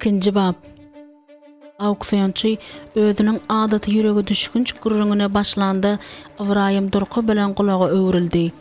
Ikinji bap. Auksionçy özüniň adaty ýürege düşgünç gürrüňine başlanda Ybraýym durky bilen gulaga öwrüldi.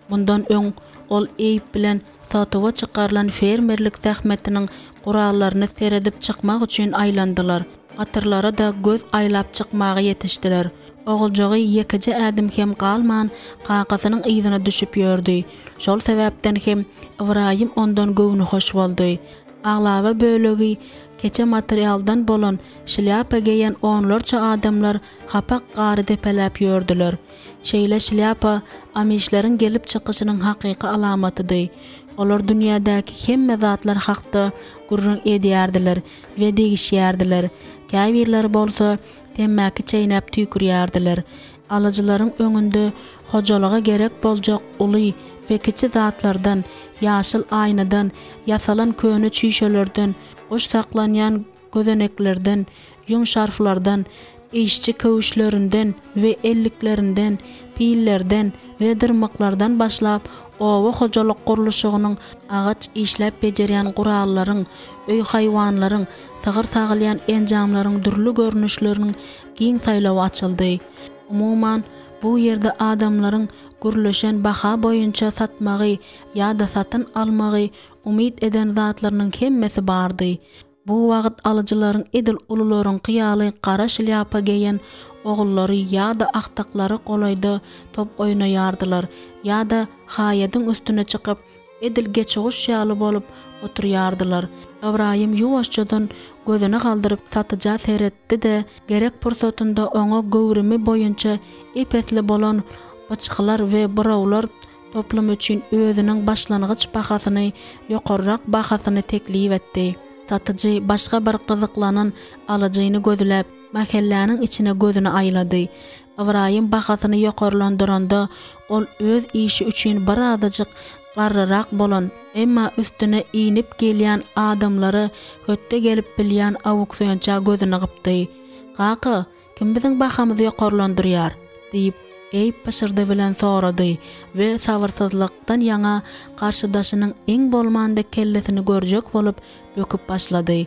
Mundan öň ol Eýp bilen satuwa çykarylan fermerlik zähmetiniň gurallaryny seredip çykmak üçin aýlandylar. Gatyrlara-da göz aýlap çykmaga ýetişdiler. Oguljygy ýekeje ädim hem galman kakasynyň yzyna düşüp ýördi. Şol sebäpden hem Ybraýym ondan göwnühoş boldy. Aglaba bölegi keçe materialdan bolan şlýapa geýen onlarça adamlar hapak gary depeläp ýördüler. Şeýle şlýapa amişleriň gelip çykyşynyň hakyky alamatydy. Olar dünýädäki hemme zatlar hakda gürrüň edýärdiler we degişýärdiler, käbirleri bolsa temmäki çeýnäp tüýkürýärdiler. Alyjylaryň öňünde hojalyga gerek boljak uly we kiçi zatlardan, ýaşyl aýnadan ýasalan köne çüýşelerden, guş saklanýan gözeneklerden, ýüň şarflardan, işçi köwüşlerinden we elliklerinden, pillerden we dyrmyklardan başlap, oba hojalyk gurluşygynyň agaç işläp bejerýän gurallaryň, öý haýwanlaryň, sygyr sagylýan enjamlaryň dürli görnüşleriniň giň saýlawy açyldy. Umuman, bu ýerde adamlaryň gürleşen baha boýunça satmagy ýa-da satyn almagy umyt eden zatlarynyň hemmesi bardy. Bu wagt alyjylaryň edil ulularyňky ýaly gara şlýapa geýen ogullary ýa-da agtyklary golaýda top oýnaýardylar ýa-da haýadyň üstüne çykyp, edil geçiguş ýaly bolup oturýardylar. Ybraýym ýuwaşjadan gözüni galdyryp satyja seretdi-de, gerek pursatynda oňa göwrümi boýunça ep-esli bolan byçgylar we burawlar toplumy üçin özüniň başlangyç bahasyny ýokarrak bahasyny teklip etdi. Satyjy başga bir gyzyklanan alyjyny gözläp, mähelläniň içine gözüni aýlady. Ybraýym bahasyny ýokarlandyranda, ol öz işi üçin birazajyk garryrak bolan, emma üstüne inip gelýän adamlara hötde gelip bilýän auksionça gözüni gypdy. Kaka, kim biziň bahamyzy ýokarlandyrýar? diýip, Eýp pyşyrdy bilen sorady we sabyrsyzlykdan ýaňa garşydaşynyň iň bolmanda kellesini görjek bolup böküp başlady.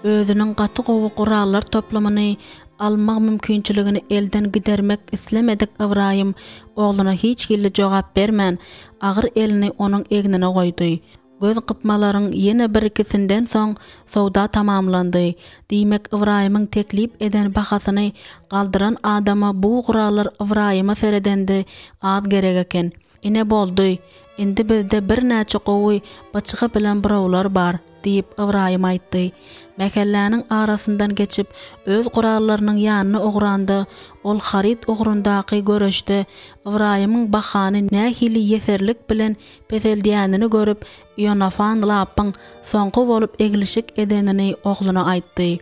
Özüniň gaty gowy gurallar toplumyny alma mümkinçiligini elden gidermek islemedik Ybraýym ogluna hiç hili jogap bermän, agyr elini onuň egnine goýdy. Göz gypmalaryň ýene bir-ikisinden soň söwda tamamlandy. Diýmek, Ybraýymyň teklip eden bahasyny galdyran adama bu gurallar Ybraýyma seredende az gerek eken. Ine boldy. Indi bizde birnäçe gowy byçgy bilen burawlar bar, diýip, Ybraýym aýtdy. Mähelläniň arasyndan geçip, öz gurallarynyň ýanyna ugranda, ol haryt ugrundaky göreşde Ybraýymyň bahany nähili ýeserlik bilen peseldýänini görüp, Ionafan Lapyň soňky bolup eglişik edenini ogluna aýtdy.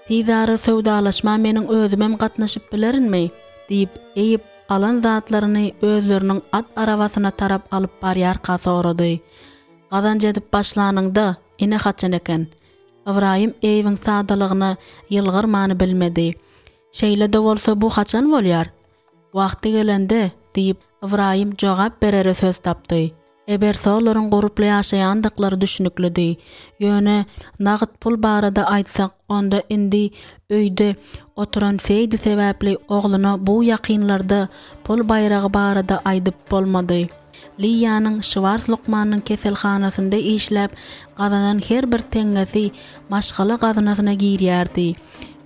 Tizara söwdalaşma meniň özümem gatnaşyp bilerinmi? diýip, Eýip alan zatlaryny özleriniň at arabasyna tarap alyp barýarka sorady. Gazanç edip başlanyňda, ine haçan eken. Ybraýym Eýibiň sadalygyna ýylgyrmany bilmedi. Şeýle-de bolsa bu haçan bolýar? Wagty gelende, diýip, Ybraýym jogap berere söz tapdy. Ebersolaryň gurply ýaşaýandyklary düşnüklidi. Ýöne nagt pul barada aýtsak, onda indi öýde oturan Seýdi sebäpli ogluna bu ýakynlarda pul baýragy barada aýdyp bolmady. Liýanyň Şwars lukmanyň keselhanasynda işläp gazanan her bir teňňesi maşgala gaznasyna girýärdi.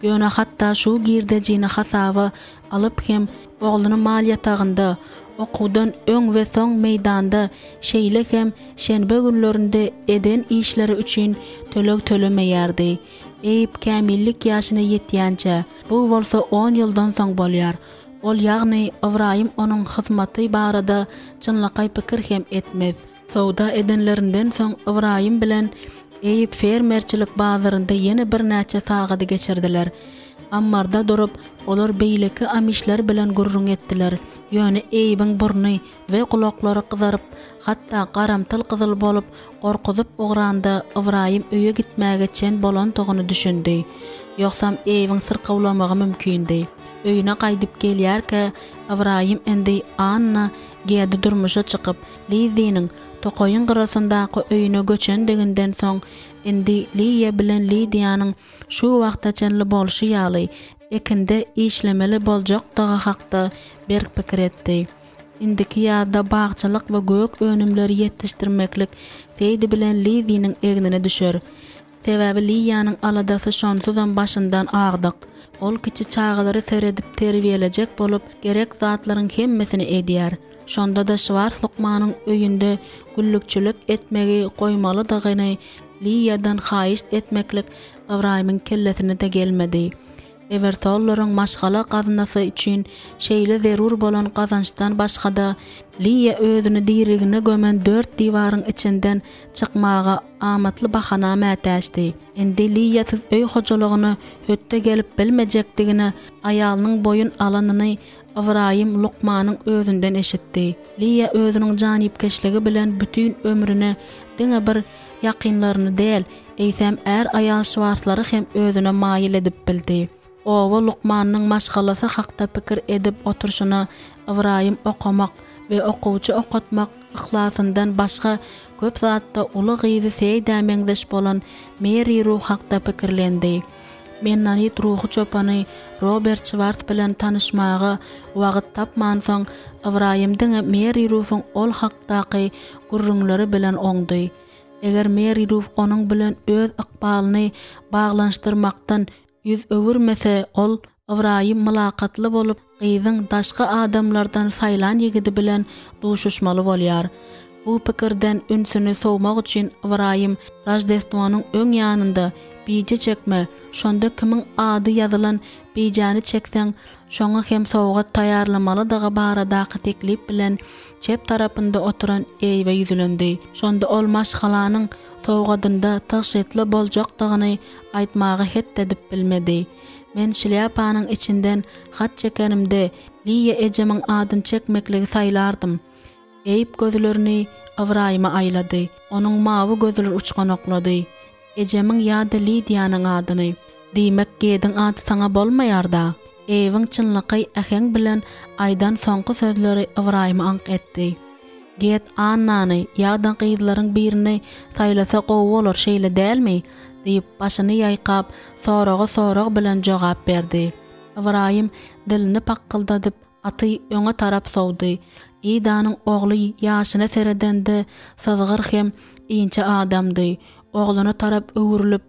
Ýöne hatda şu girdejini hasaba alyp hem ogluny mal ýatagynda, okuwdan öň we soň meýdanda, şeýle hem şenbe günlerinde eden işleri üçin töleg tölemeýärdi. Eýp kämillik ýaşyna ýetýänçä, bu bolsa on ýyldan soň bolýar. Ol, ýagny Ybraýym onuň hyzmaty barada çynlakaý pikir hem etmez. Söwda edenlerinden soň Ybraýym bilen Eýip fermerçilik bazarynda ýene birnäçe sagady geçirdiler. Ammarda durup, olar beýleki amişler bilen gürrüň etdiler. Ýöne Eýibiň burny we gulaklary gyzaryp, hatda garamtyl-gyzyl bolup, gorkuzyp ugranda Ybraýym öýe gitmäge çen bolandygyny düşündi. Ýogsam Eýibiň syrkawlamagy mümkindi. Öýüne gaýdyp gelýärkä, Ybraýym indi Anna Gedi durmuşa çykyp, Lizziniň. tokaýyň gyrasyndaky öýüne göçendiginden soň, indi Liýa bilen Lidiýanyň şu wagta çenli bolşy ýaly, ekinde işlemeli boljakdygy hakda berk pikir etdi. Indiki ýazda bagçylyk we gök önümleri ýetişdirmeklik Seýdi bilen Liziniň egnine düşer. Sebäbi Liýanyň aladasy şonsuzam başyndan agdyk. Ol kiçi çagalary seredip terbiýelejek bolup, gerek zatlaryň hemmesini edýär. Şonda-da Şwars lukmanyň öýünde güllükçilik etmegi goýmalydygyny Liýadan haýyşt etmeklik Ybraýymyň kellesine-de gelmedi. Ewersollaryň maşgala gaznasy üçin şeýle zerur bolan gazançdan başga-da, Liýa özüni diriligine gömen dört diwaryň içinden çykmaga amatly bahana mätäçdi. Indi Liýasyz öý hojalygyna hötde gelip bilmejekdigine aýalynyň boýun alanyny Ybraýym lukmanyň özünden eşitdi. Liýa özüniň janypkeşligi bilen bütin ömrüne diňe bir ýakynlaryny däl, eýsem är-aýal Şwarslary hem özüne maýyl edip bildi. Oba lukmanynyň maşgalasy hakda pikir edip oturyşyna Ybraýym okamak we okuwçy okatmak yhlasyndan başga köp zatda uly gyzy Seýdä meňzeş bolan Meri Ru hakda pikirlendi. Mennonit ruhy çopany Robert Şwars bilen tanyşmaga wagt tapmansoň, Ybraýym diňe Meri Rufuň ol hakdaky gürrüňleri bilen oňdy. Eger Meri Ruf onuň bilen öz ykbalyny baglanyşdyrmakdan ýüz öwürmese, ol Ybraýym mylakatly bolup, gyzyň daşky adamlardan saýlan ýigidi bilen duşuşmaly bolýar. Bu pikirden ünsüni sowmak üçin Ybraýym Roždestwonyň öň ýanynda bije çekme, şonda kimiň ady ýazylan bijäni çekseň, şoňa hem sowgat taýýarlamalydygy baradaky teklip bilen çep tarapynda oturan Eýbe ýüzlendi. Şonda ol maşgalanyň sowgadynda tygşytly boljakdygyny aýtmaga het edip bilmedi. Men şlýapanyň içinden hat çekenimde, Liýa ejemiň adyny çekmekligi saýlardym. Eýp gözlerini Ybraýyma aýlady. Onuň mawy gözleri uçganaklady. Ejemiň ýa-da Lidiýanyň adyny. Diýmek, Gediň ady saňa bolmaýar-da? Eýbiň çynlakaý äheň bilen aýdan soňky sözleri Ybraýymy aňk etdi. Ged Annany ýa-da gyzlaryň birini saýlasa gowy bolar, şeýle dälmi? diýip, başyny ýaýkap, soraga sorag bilen jogap berdi. Ybraýym dilini pakgyldadyp, aty öňe tarap sowdy. Idanyň ogly ýaşyna seredende syzgyr hem inçe adamdy. Ogluna tarap öwrülip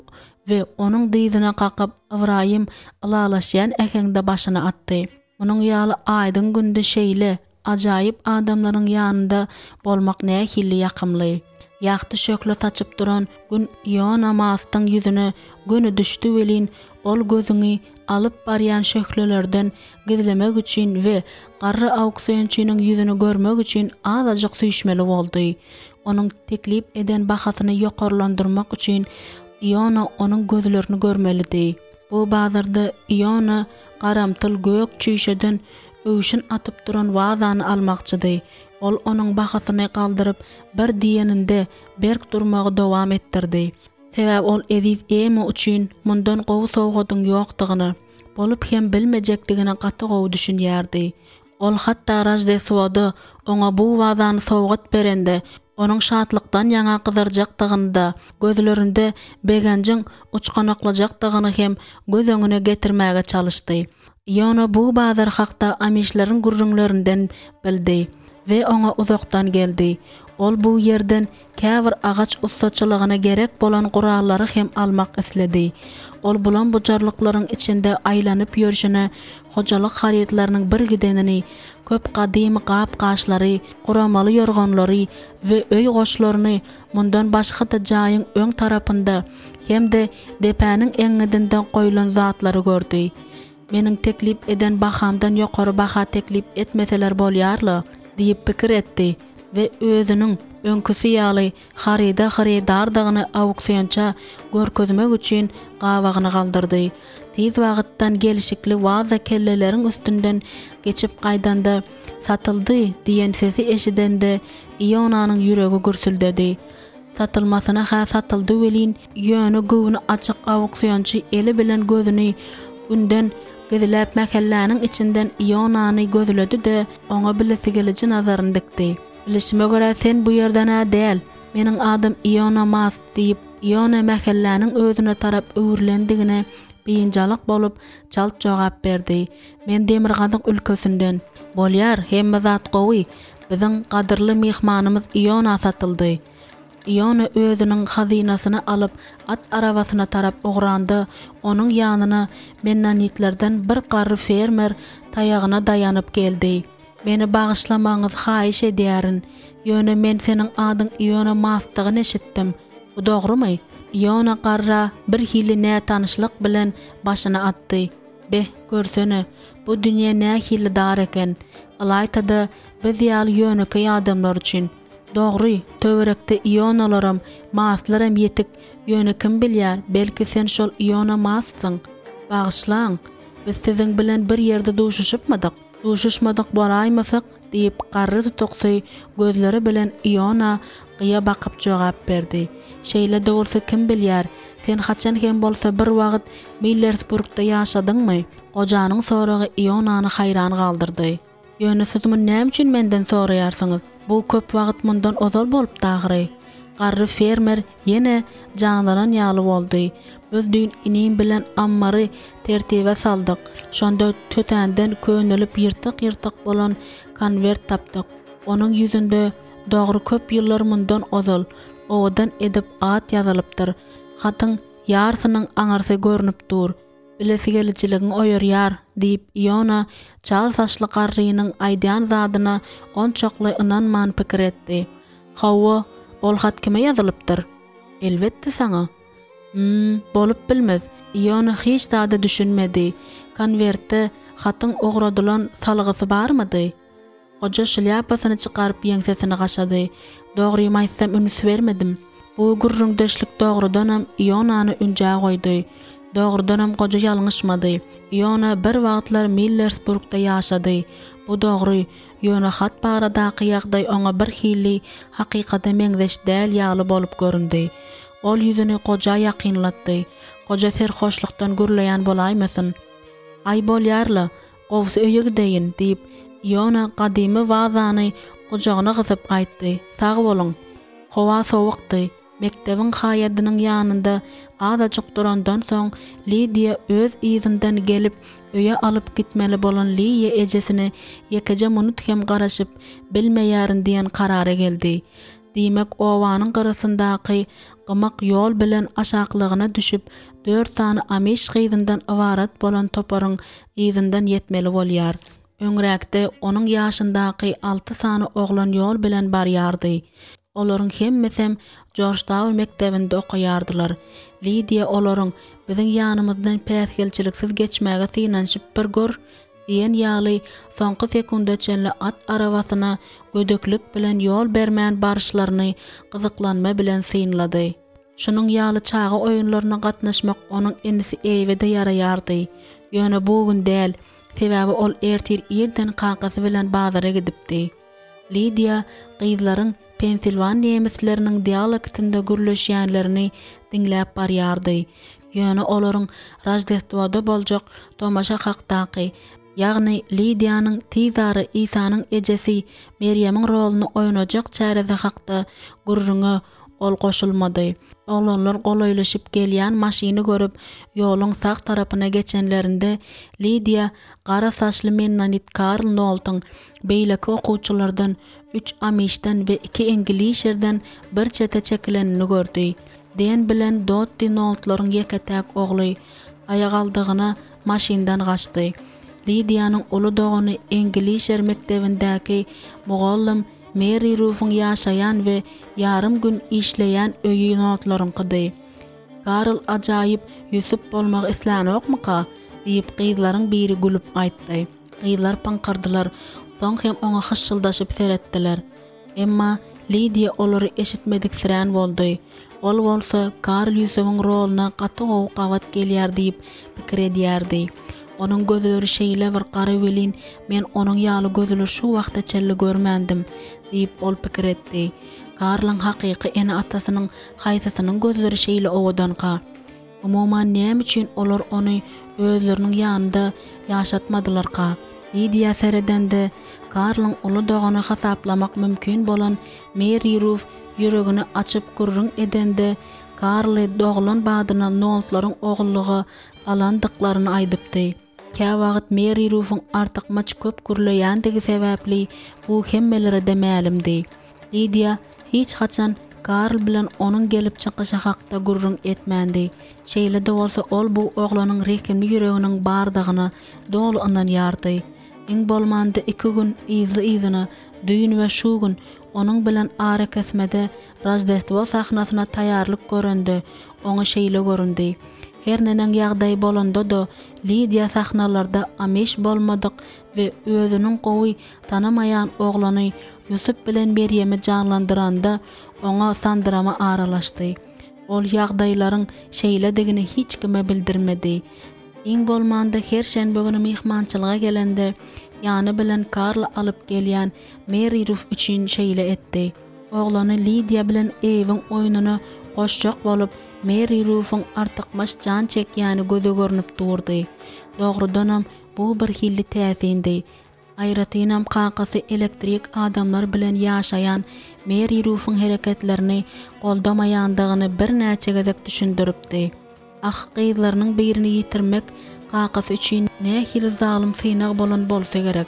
we onuň dyzyna kakyp, Ybraýym ylalaşýan äheňde başyny atdy. Munuň ýaly aýdyň günde şeýle ajaýyp adamlaryň ýanynda bolmak nähili ýakymly. Ýagty şöhle saçyp duran Gün Iona Mastyň ýüzüne göni düşdi welin, ol gözüňi alyp barýan şöhlelerden gizlemek üçin we garry auksionçynyň ýüzüni görmek üçin azajyk süýşmeli boldy. Onuň teklip eden bahasyny ýokarlandyrmak üçin Iona onuň gözlerini görmelidi. Bu bazarda Iona garamtyl gök çüýşeden öwşün atyp duran wazany almakçydy. Ol onuň bahasyny galdyryp bir diýeninde berk durmagy dowam etdirdi. Sebäbi ol eziz Ema üçin mundan gowy sowgadyň ýokdugyna, bolup hem bilmejekdigine gaty gowy düşünýärdi. Ol hatda Roždestwoda oňa bu wazany sowgat berende, onuň şatlykdan ýaňa gyzarjakdygyny-da, gözlerinde begenjiň uçganaklajakdygyny hem göz öňüne getirmäge çalyşdy. Iona bu bazar hakda amişleriň gürrüňlerinden bildi we oňa uzakdan geldi. Ol bu ýerden käbir agaç ussaçylygyna gerek bolan gurallary hem almak isledi. Ol bulam-bujarlyklaryň içinde aýlanyp ýörşüne hojalyk harytlarynyň birgidenini, köp gadymy gap-gaçlary, guramaly ýorganlary we öý goşlaryny, mundan başga-da jaýyň öň tarapynda hem-de depäniň eňňidinde goýlan zatlary gördi. Meniň teklip eden bahamdan ýokary baha teklip etmeseler bolýar-la diýip pikir etdi we özüniň öňküsi ýaly haryda hyrydardygyny auksionça görkezmek üçin gabagyny galdyrdy. Tiz wagtdan gelşikli waza kelleleriň üstünden geçip gaýdanda, Satyldy! diýen sesi eşidende Ionanyň ýüregi gürsüldedi. Satylmasyna-ha satyldy welin, ýöne göwni açyk auksionçy eli bilen gözüni Günden gizläp mähelläniň içinden Ionany gözledi-de, oňa bilesigeliji nazaryny dikdi. Bilişime görä sen bu ýerden-ä däl. Meniň adym Iona Mast, diýip, Iona mähelläniň özüne tarap öwrülendigine biynjalyk bolup, çalt jogap berdi. Men demirgazyk ülkesinden. Bolýar, hemme zat gowy. Biziň gadyrly myhmanymyz Iona satyldy. Iona özüniň hazynasyny alyp, at arabasyna tarap ugranda, onuň ýanyna mennonitlerden bir garry fermer taýagyna daýanyp geldi. Meni bagyşlamagyňyzy haýyş edýärin, ýöne men seniň adyň Iona Masdygyny eşitdim. Bu dogrumy? Iona garra birhili nätanyşlyk bilen başyny atdy. Beh, görsene, bu dünýe nähili dar eken. Ylaýta-da, biz ýaly ýönekeý adamlar üçin. Dogry, töwerekde Ionalaram, Maslaram ýetik, ýöne kim bilýär, belki sen şol Iona Massyň? Bagyşlaň, biz siziň bilen bir ýerde duşuşypmydyk? Duşuşmadyk bolaýmasak, diýip, garry tutuksy gözleri bilen Iona gyýa bakyp jogap berdi. Şeýle-de bolsa kim bilýär, sen haçan hem bolsa bir wagt Millersburgda ýaşadyňmy? Gojanyň soragy Ionany haýran galdyrdy. Ýöne siz muny näme üçin menden soraýarsyňyz? Bu köp wagt mundan ozal bolupdy ahyry. Garry fermer ýene janlanan ýaly boldy. Biz düýn inim bilen ammary tertibe saldyk. Şonda tötänden könelip ýyrtyk-ýyrtyk bolan konwert tapdyk. Onuň ýüzünde dogry köp ýyllar mundan ozal, owadan edip at ýazylypdyr. Hatyň ýarsynyň aňyrsy görnüp dur. Bilesigelijiligiň oýarýar, diýip, Iona çal saçly garrynyň aýdýan zadyna onçakly ynanman pikir etdi. Hawa, ol hat kime ýazylypdyr? Elbetde, saňa. Hum, bolup bilmez. Iona hiç zada düşünmedi. Konwertde hatyň ugradylan salgysy barmydy? Goja şlýapasyny çykaryp ýeňsesini gaşady. Dogrymy aýtsam üns bermedim. Bu gürrüňdeşlik dogrudanam Ionany ünjä goýdy. Dogrudanam goja ýalňyşmady. Iona bir wagtlar Millersburgda ýaşady. Bu dogry, ýöne hat baradaky ýagdaý oňa birhili hakykata meňzeş däl ýaly bolup göründi. Ol ýüzüni goja ýakynlatdy. Goja serhoşlukdan gürleýän bolaýmasyn? Aý bolýar-la, Gowusy öýe gideýin, diýip, Iona gadymy wazany gujagyna gysyp aýtdy. Sag boluň. Howa sowukdy. Mekdebiň haýadynyň ýanynda azajyk durandan soň, Lidiýa öz yzyndan gelip, öýe alyp gitmeli bolan Liýa ejesine ýekeje munut hem garaşyp bilmeýärin diýen karara geldi. Diýmek, obanyň gyrasyndaky gymak ýol bilen aşaklygyna düşüp, dört sany amiş gyzyndan ybarat bolan toparyň yzyndan ýetmeli bolýar. Öňräkde onuň ýaşyndaky alty sany oglan ýol bilen barýardy. Olaryň hemmesem Jorjtaun mekdebinde okaýardylar. Lidiýa olaryň biziň ýanymyzdan päsgelçiliksiz geçmäge synanyşyp bir gör diýen ýaly soňky sekunda çenli at arabasyna gödeklik bilen ýol bermän baryşlaryny gyzyklanma bilen synlady. Şunuň ýaly çaga oýunlaryna gatnaşmak onuň inisi Eýbe-de ýaraýardy. Ýöne bu gün däl, sebäbi ol ertir irden kakasy bilen bazara gidipdi. Lidiýa gyzlaryň pensilwan nemisleriniň dialektinde gürleşýänlerini diňläp barýardy. Ýöne olaryň Roždestwoda boljak tomaşa hakdaky, ýagny Lidiýanyň tizara Isanyň ejesi Merýemiň roluny oýnajak çäresi hakda gürrüňe ol goşulmady. Oglanlar golaýlaşyp gelýän maşyny görüp, ýoluň sag tarapyna geçenlerinde, Lidiýa gara saçly mennonit Karl Noltyň beýleki okuwçylardan, üç amişden we iki eňgilişerden bir çete çekilenini gördi. Den bilen Dotti Noltlaryň ýeke-täk ogly, aýagaldygyna maşyndan gaçdy. Lidiýanyň uly dogany eňgilişer mekdebindäki mugallym Meri Rufuň ýaşaýan we ýarym gün işleýän öýi Noltlaryňkydy. Karl ajaýyp Ýusup bolmagy islänokmyka? diýip, gyzlaryň biri gülüp aýtdy. Gyzlar pyňkyrdylar, soň hem oňa hyşşyldaşyp seretdiler. Emma Lidiýa olary eşitmediksirän boldy. Ol bolsa Karl Ýusubyň roluna gaty gowy gabat gelýär diýip pikir edýärdi. Onuň gözleri şeýle bir gara welin, men onuň ýaly gözleri şu wagta çenli görmändim, diýip, ol pikir etdi. Karlyň hakyky ene-atasynyň haýsysynyň gözleri şeýle owadanka? Umuman, näme üçin olar ony özleriniň ýanynda ýaşatmadylarka? Lidiýa seredende, Karlyň uly dogany hasaplamak mümkin bolan Meri Ruf ýüregini açyp gürrüň edende, Karly doglan badyna Noltlaryň ogullyga alandyklaryny aýdypdy. Käwagt Meri Rufuň artykmaç köp gürleýändigi sebäpli bu hemmelere-de mälimdi. Lidiýa hiç haçan Karl bilen onuň gelip çykyşy hakda gürrüň etmändi. Şeýle-de bolsa ol bu oglanyň rehimli ýüreginiň bardygyna doly ynanýardy. Iň bolmanda iki gün yzly-yzyna, düýn we şu gün onuň bilen arakesmede Roždestwo sahnasyna taýýarlyk görende, oňa şeýle göründi. Her neneň ýagdaý bolanda-da, Lidiýa sahnalarda amiş bolmadyk we özüniň gowy tanamaýan oglany Ýusup bilen Merýemi janlandyranda, oňa sandyrama aralaşdy. Ol ýagdaýlaryň şeýledigini hiç kime bildirmedi. Iň bolmanda her şenbe güni myhmançylyga gelende, ýany bilen Karly alyp gelýän Meri Ruf üçin şeýle etdi. Oglany Lidiýa bilen Eýwiň oýnuna goşjak bolup, Meri Rufuň artykmaç jan çekýäni göze görnüp durdy. Dogrudanam, bu birhili täsindi. Aýratynam kakasy elektrik adamlar bilen ýaşaýan Meri Rufuň hereketlerini goldamaýandygyny birnäçe gezek düşündiripdi. Ah, gyzlarynyň birini ýitirmek kakasy üçin nähili zalym synag bolan bolsa gerek.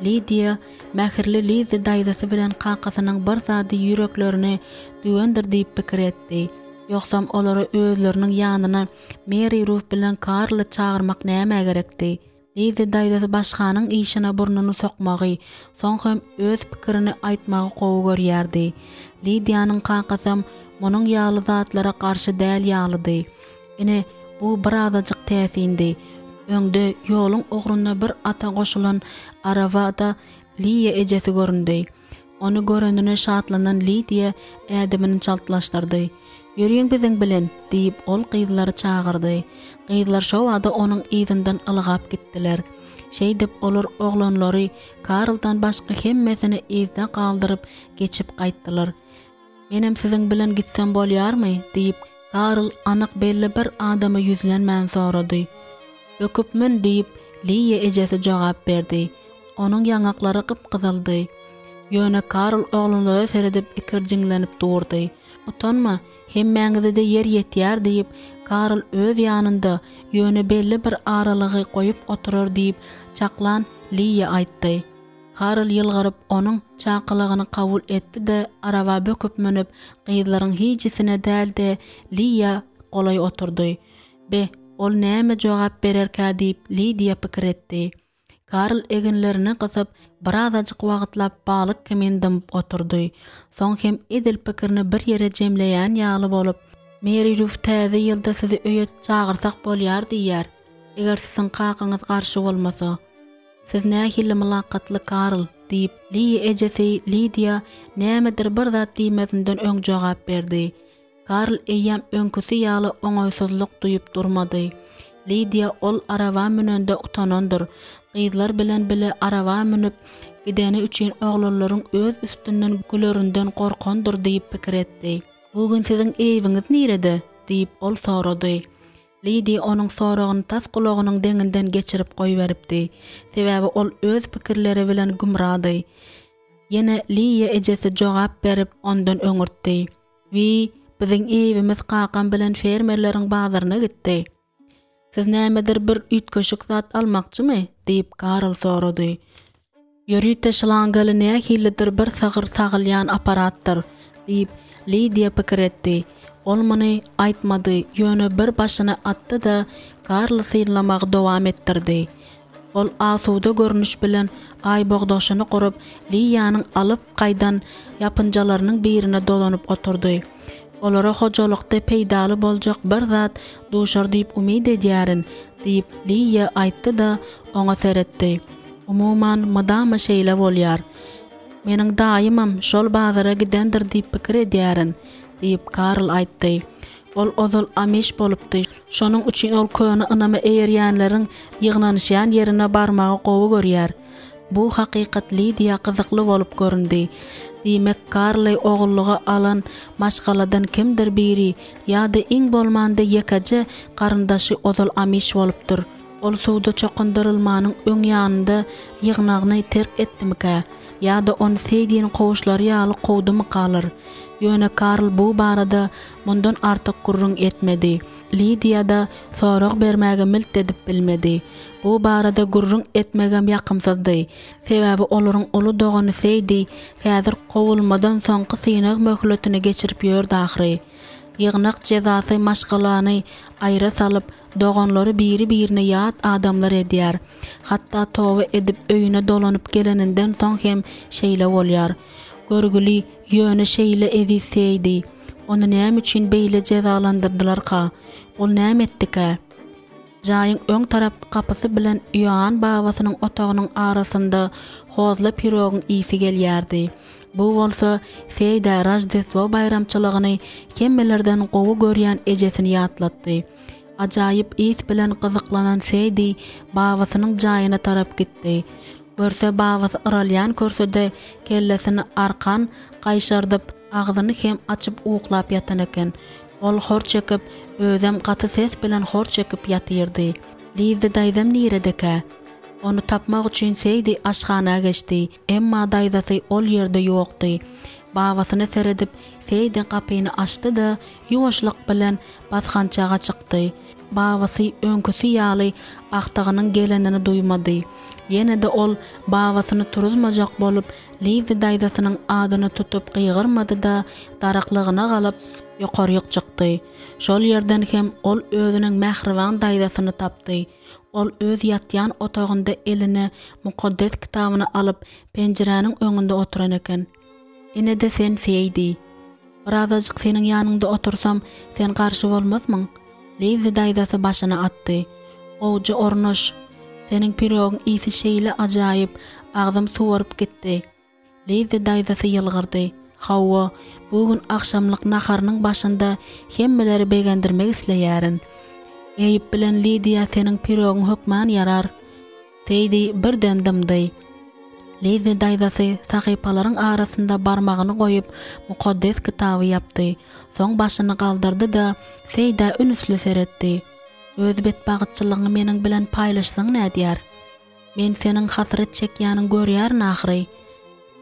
Lidiýa mähirli Lizzi daýzasy bilen kakasynyň bir zady ýüreklerine düwendir diýip pikir etdi. Ýogsam olary özleriniň ýanyna Meri Ruf bilen Karly çagyrmak nämä gerekdi? Lizzi daýzasy başganyň işine burnuny sokmagy, soň hem öz pikirini aýtmagy gowy görýärdi. Lidiýanyň kakasam munuň ýaly zatlara garşy däl ýalydy. Ine, bu birazajyk täsindi. Öňde, ýoluň ugrunda bir ata goşulan arabada Liýa ejesi göründi. Ony görenine şatlanan Lidiýa ädimini çaltlaşdyrdy. Ýörüň biziň bilen, diýip, ol gyzlary çagyrdy. Gyzlar şobada onuň yzyndan ylgap gitdiler. Şeýdip, olar oglanlary, Karldan başga hemmesini yzda galdyryp, geçip gaýtdylar. Menem siziň bilen gitsem bolýarmy? diýip, Karl anyk belli bir adama ýüzlenmän sorady. Böküp mün, diýip, Liýa ejesi jogap berdi. Onuň ýaňaklary gyp-gyzyldy. Ýöne Karl oglanlara seredip ikirjiňlenip durdy. Utanma, hemmäňize-de ýer ýetýär diýip, Karl öz ýanynda, ýöne belli bir aralygy goýup oturar diýip çaklan Liýa aýtdy. Karl ýylgyryp, onuň çakylygyny kabul etdi-de, araba böküp münüp, gyzlaryň hijisine däl-de, Liýa golaý oturdy. Be, ol näme jogap bererkä diýip, Lidiýa pikir etdi. Karl eginlerini gysyp, birazajyk wagtlap balyk kimin dymyp oturdy. Soň hem edil pikirini bir ýere jemleýän ýaly bolup, Meri Ruf täze ýylda sizi öýe çagyrsak bolýar diýýär, eger siziň kakaňyz garşy bolmasa. Siz nähili mylakatly Karl, diýip, Liýa ejesi Lidiýa nämedir bir zat diýmezinden öň jogap berdi. Karl eýýäm öňküsi ýaly oňaýsyzlyk duýup durmady. Lidiýa ol araba münende utanandyr. Gyzlar bilen bile araba münüp gideni üçin oglanlaryň öz üstünden gülerinden gorkandyr diýip pikir etdi. Bu gün siziň Eýwiňiz nirede? diýip, ol sorady. Lidiýa onuň soragyny tas gulagynyň deňinden geçirip goýberipdi. Sebäbi ol öz pikirleri bilen gümrady. Ýene Liýa ejesi jogap berip, ondan öňürtdi. Wiý, biziň Eýwimiz kakam bilen fermerleriň bazaryna gitdi. Siz nämedir bir üýtgeşik zat almakçymy? diýip, Karl sorady. Ýörite şlangaly nähilidir bir sygyr sagylýan apparatdyr, diýip, Lidiýa pikir etdi. Ol muny aýtmady, ýöne bir başyny atdy-da, Karly synlamagy dowam etdirdi. Ol asuda görnüş bilen aýbogdaşyny gurup, Liýanyň alyp gaýdan ýapynjalarynyň birine dolanyp oturdy. Olara hojalykda peýdaly boljak bir zat duşar diýip umyt edýärin, diýip, Liýa aýtdy-da, oňa seretdi. Umuman, mydama şeýle bolýar. Meniň daýymam şol bazara gidendir diýip pikir edýärin, diýip, Karl aýtdy. Ol ozal amiş bolupdy, şonuň üçin ol köne ynama eýerýänleriň ýygnanyşýan ýerine barmagy gowy görýär. Bu hakykat Lidiýa gyzykly bolup göründi. Diýmek, Karly ogullyga alan maşgaladan kimdir biri ýa-da iň bolmanda ýekeje garyndaşy ozal amiş bolupdyr. Ol suwda çokundyrylmanyň öň ýanynda ýygnagyny terk etdimikä ýa-da ony Seýdiniň kowuşlary ýaly kowdumykalar? Ýöne Karl bu barada mundan artyk gürrüň etmedi. Lidiýa-da sorag bermäge milt edip bilmedi. Bu barada gürrüň etmegem ýakymsyzdy. Sebäbi olaryň uly dogany Seýdi häzir kowulmadan soňky synag möhletini geçirip ýördi ahyry. Ýygnak jezasy maşgalany aýra salyp, doganlary biri-birine ýat adamlar edýär. Hatda toba edip öýüne dolanyp geleninden soň hem şeýle bolýar. Görgüli, ýöne şeýle eziz Seýdi. Ony näme üçin beýle jezalandyrdylarka? Ol näme etdikä? Jaýyň öň tarapky gapysy bilen Ioann babasynyň otagynyň arasynda hozly pirogyň ysy gelýärdi. Bu bolsa Seýdä Roždestwo baýramçylygyny hemmelerden gowy görýän ejesini ýatlatdy. Ajaýyp ys bilen gyzyklanan Seýdi babasynyň jaýyna tarap gitdi. Görse babasy yralýan kürsüde kellesini arkan gaýşardyp, agzyny hem açyp uklap ýatan eken. Ol hor çekip, özem gaty ses bilen hor çekip ýatyrdy. Lizzi daýzam niredekä? Ony tapmak üçin Seýdi aşhana geçdi, emma daýzasy ol ýerde ýokdy. Babasyna seredip, Seýdi gapyny açdy-da, ýuwaşlyk bilen basgançaga çykdy. Babasy öňküsi ýaly agtygynyň gelenini duýmady. Ýene-de ol babasyny turuzmajak bolup, Lizzi daýzasynyň adyny tutup gygyrmady-da, daraklygyna galyp, ýokaryk çykdy. Şol ýerden hem ol özüniň mähriban daýzasyny tapdy. Ol öz ýatýan otagynda eline mukaddes kitabyny alyp, penjiräniň öňünde oturan eken. Ine-de sen, Seýdi. Birazajyk seniň ýanyňda otursam, sen garşy bolmazmyň? Lizzi daýzasy başyny atdy. Gowja ornaş. Seniň pirogyň ysy şeýle ajaýyp, agzym suwaryp gitdi. Lizzi daýzasy ýylgyrdy. Hawa, bu gün agşamlyk naharynyň başynda hemmeleri begendirmek isleýärin. Eýb bilen Lidiýa seniň pirogyň hökman ýarar. Seýdi birden dymdy. Lizzi daýzasy sahypalaryň arasynda barmagyny goýup, Mukaddes Kitaby ýapdy. Soň başyny galdyrdy-da, Seýdä ünsli seretdi. Öz betbagytçylygyňy meniň bilen paýlaşsaň nädýär? Men seniň hasrat çekýäniňi görýärin ahyry.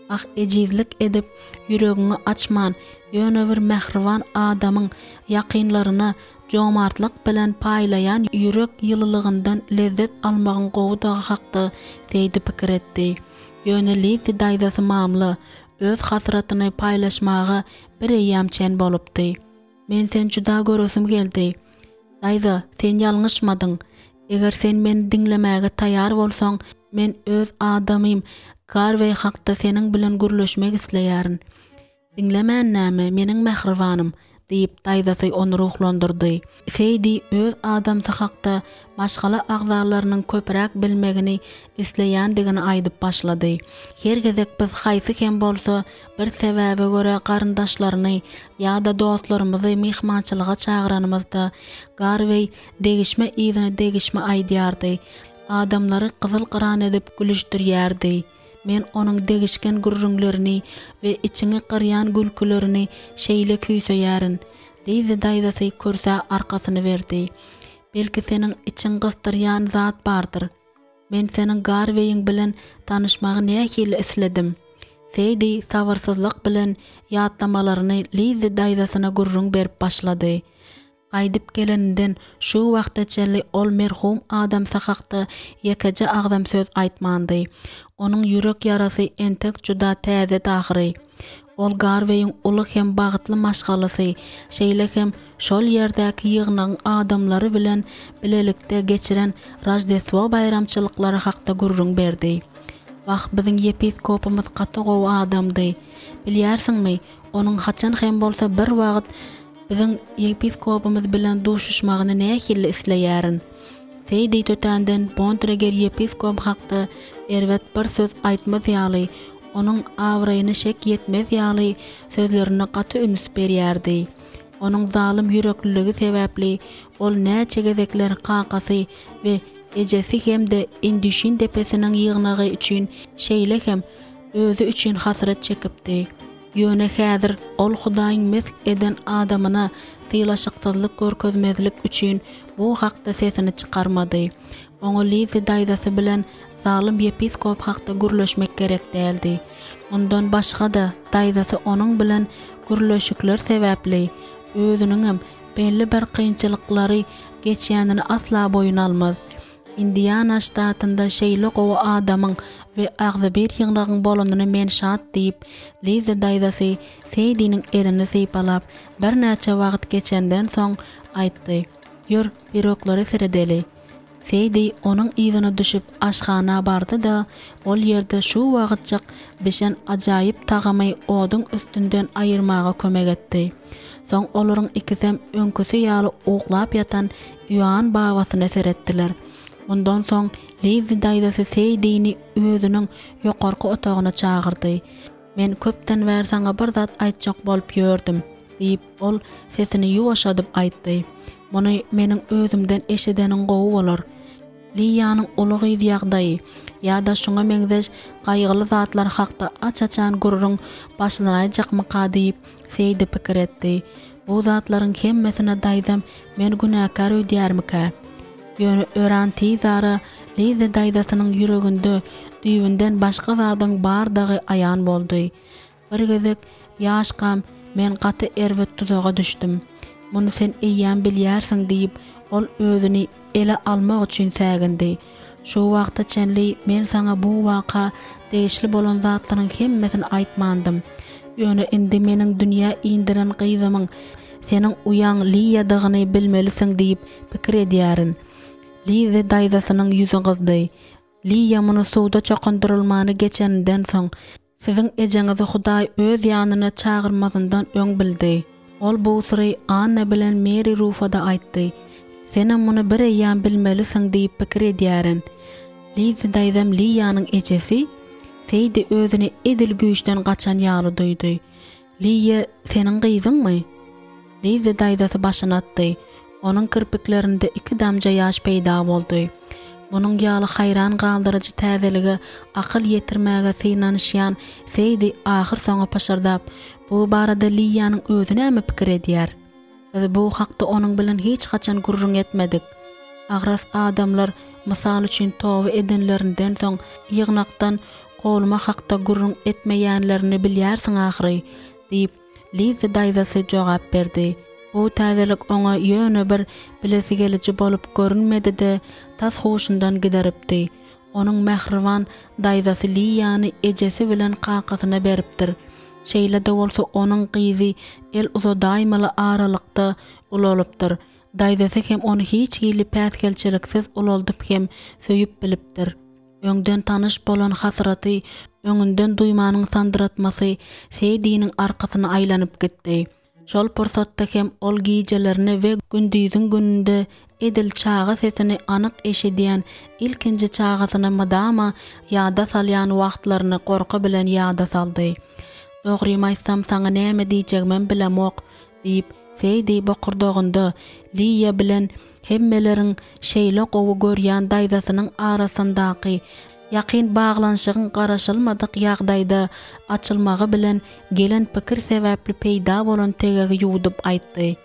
Ah, ejizlik edip, ýüregiňi açman, ýöne bir mähriban adamyň ýakynlaryna jomartlyk bilen paýlaýan ýürek ýylylygyndan lezzet almagyň gowudygy hakda Seýdi pikir etdi. Ýöne Lizzi daýzasy mamla, öz hasratyny paýlaşmaga bireýýäm çen bolupdy. Men seni juda göresim geldi. Daýza, sen ýalňyşmadyň. Eger sen meni diňlemäge taýýar bolsaň, men öz adamym Garweý hakda seniň bilen gürleşmek isleýärin. Diňlemän näme, meniň mähribanym, diýip, daýzasy ony ruhlandyrdy. Seýdi öz adamsy hakda maşgala agzalarynyň köpräk bilmegini isleýändigini aýdyp başlady. Her gezek biz haýsy hem bolsa bir sebäbe görä garyndaşlaryny ýa-da dostlarymyzy myhmançylyga çagyranymyzda, Garweý degişme yzyna degişme aýdýardy, adamlary gyzyl-gyran edip gülüşdirýärdi. Men onuň degişgen gürrüňlerini we içiňi gyrýan gülkülerini şeýle küýseýärin. Lizzi daýzasy kürsä arkasyny berdi. Belki seniň içiň gysdyrýan zat bardyr. Men seniň Garweýiň bilen tanyşmagy nähili isledim. Seýdi sabyrsyzlyk bilen ýatlamalaryny Lizzi daýzasyna gürrüň berip başlady. Gaýdyp geleninden şu wagta çenli ol merhum adamsy hakda ýekeje agzam söz aýtmandy. Onuň ýürek ýarasy entek juda täzedi ahyry. Ol Garweýiň uly hem bagtly maşgalasy, şeýle hem şol ýerdäki ýygnagyň adamlary bilen bilelikde geçiren Roždestwo baýramçylyklary hakda gürrüň berdi. Wah, biziň ýepiskopymyz gaty gowy adamdy. Bilýärsiňmi, onuň haçan hem bolsa bir wagt biziň ýepiskopymyz bilen duşuşmagyny nähili isleýärin. Seýdi tötänden Bontreger ýepiskop hakda erbet bir söz aýtmaz ýaly, onuň abraýyna şek ýetmez ýaly sözlerine gaty üns berýärdi. Onuň zalym ýürekliligi sebäpli ol näçe gezekler kakasy we ejesi hem-de Indüşin depesiniň ýygnagy üçin, şeýle hem özi üçin hasrat çekipdi. Ýöne häzir ol Hudaýyň mesh eden adamyna sylaşyksyzlyk görkezmezlik üçin bu hakda sesini çykarmady. Oňa Lizzi daýzasy bilen zalym ýepiskop hakda gürleşmek gerek däldi. Mundan başga-da, daýzasy onuň bilen gürleşikler sebäpli, özüniňem belli bir kynçylyklary geçýänini asla boýun almaz. Indiana ştatynda şeýle gowy adamyň we agzybir ýygnagyň bolanyna men şat diýip, Lizzi daýzasy Seýdiniň elini sypalap, birnäçe wagt geçenden soň aýtdy. Ýör, piroglara seredeli. Seýdi onuň yzyna düşüp aşhana bardy-da, ol ýerde şu wagtjyk bişen ajaýyp tagamy oduň üstünden aýyrmaga kömek etdi. Soň olaryň ikisem öňküsi ýaly uklap ýatan Ioann babasyna seretdiler. Mundan soň Lizzi daýzasy Seýdini özüniň ýokarky otagyna çagyrdy. Men köpden bäri saňa bir zat aýtjak bolup ýördüm, diýip, ol sesini ýuwaşadyp aýtdy. Muny meniň özümden eşideniň gowy bolar. Liýanyň uly gyz ýagdaýy ýa-da şuňa meňzeş gaýgyly zatlar hakda aç-açan gürrüň başlanaýjakmyka diýip, Seýdi pikir etdi. Bu zatlaryň hemmesine daýzam meni günäkär öýdýärmikä? Ýöne öran tizara Liza daýzasynyň ýüreginde düýbünden başga zadyň bardygy aýan boldy. Bir gezek ýaşkam men gaty erbet duzaga düşdüm. Muny sen eýýäm bilýärsiň diýip, ol özüni ele almak üçin sägindi. Şu wagta çenli men saňa bu waka degişli bolan zatlaryň hemmesini aýtmandym. Ýöne indi meniň dünýä indiren gyzymyň seniň uýaň Liýadygyny bilmelisiň diýip pikir edýärin. Lizzi daýzasynyň ýüzi gyzdy. Liýa muny suwda çokundyrylmany geçeninden soň, Siziň ejeňizi Hudaý öz ýanyna çagyrmazyndan öň bildi. Ol bu syry Anna bilen Meri Rufa-da aýtdy. Senem muny bireýýäm bilmelisiň diýip pikir edýärin. Lizzi daýzam Liýanyň ejesi? Seýdi özüni edil güýçden gaçan ýaly duýdy. Liýa seniň gyzyňmy? Lizzi daýzasy başyny atdy. Onuň kirpiklerinde iki damja ýaş peýda boldy. Munuň ýaly haýran galdyryjy täzelige akyl ýetirmäge synanyşýan Seýdi ahyrsoňy pyşyrdap, Bu barada Liýanyň özi näme pikir edýär? Biz bu hakda onuň bilen hiç haçan gürrüň etmedik. Agras adamlar, mysal üçin, toba edenlerinden soň ýygnakdan kowulma hakda gürrüň etmeýänlerini bilýärsiň ahyry, diýip, Lizzi daýzasy jogap berdi. Bu täzelik oňa ýöne bir bilesigeliji bolup görünmedi-de, tas huşundan gideripdi. Onuň mähriban daýzasy Liýany ejesi bilen kakasyna beripdir. Şeýle-de bolsa onuň gyzy el uzadaýmaly aralykda ulalypdyr. Daýzasy hem ony hiç hili päsgelçiliksiz ulaldyp hem söýüp bilipdir. Öňden tanyş bolan hasraty öňünden duýmanyň sandyratmasy Seýdiniň arkasyna aýlanyp gitdi. Şol pursatda hem ol gijelerine we gündiziň gününde edil çaga sesini anyk eşidýän ilkinji çagasyny mydama ýada salýan wagtlaryny gorky bilen ýada saldy. Dogrymy aýtsam saňa näme diýjegimem bilemok, diýip, Seýdi bokurdagynda Liýa bilen hemmeleriň şeýle gowy görýän daýzasynyň arasyndaky ýakyn baglanyşygyň garaşylmadyk ýagdaýda açylmagy bilen gelen pikir sebäpli peýda bolan tegegi ýuwdup aýtdy.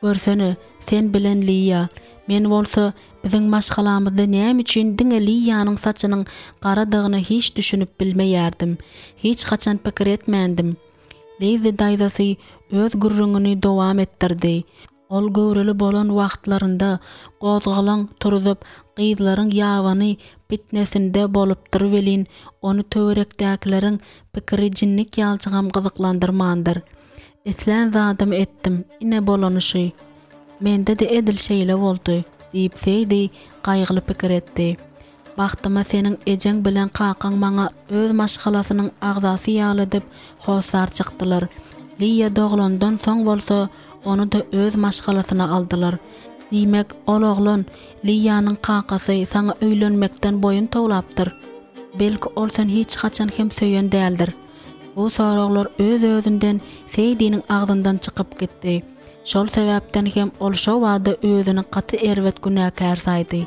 Görsene, sen bilen Liýa, men bolsa biziň maşgalamyzda näme üçin diňe Liýanyň saçynyň garadygyna hiç düşünip bilmeýärdim. Hiç haçan pikir etmändim. Lizzi daýzasy öz gürrüňini dowam etdirdi. Ol göwreli bolan wagtlarynda gozgalaň turzup, gyzlaryň ýabany pitnesinde bolupdyr welin, ony töwerekdäkileriň pikiri jinnik ýaljygam gyzyklandyrmandyr. Islän zadymy etdim, ine bolany şu. Mende-de edil şeýle boldy, diýip Seýdi gaýgyly pikir etdi. Bagtyma seniň ejeň bilen kakaň maňa öz maşgalasynyň agzasy ýaly edip hossar çykdylar. Liýa doglandan soň bolsa ony-da öz maşgalasyna aldylar. Diýmek, ol oglan, Liýanyň kakasy saňa öýlenmekden boýun towlapdyr? Belki ol seni hiç haçan hem söýen däldir? Bu soraglar öz-özünden Seýdiniň agzyndan çykyp gitdi. Şol sebäpden hem ol şo bada özüni gaty erbet günäkär saýdy.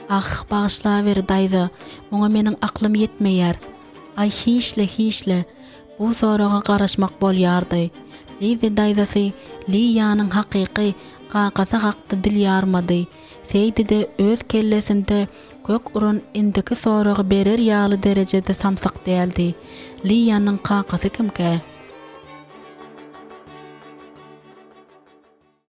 Ah, bagyşlaweri, daýza, muňa meniň aklym ýetmeýär. Aý, hiç-le, hiç-le. Bu soraga garaşmak bolýardy. Lizzi daýzasy Liýanyň hakyky kakasy hakda dil ýarmady. Seýdi-de öz kellesinde. Kök uran indiki soragy berer ýaly derejede samsyk däldi. Liýanyň kakasy kimkä?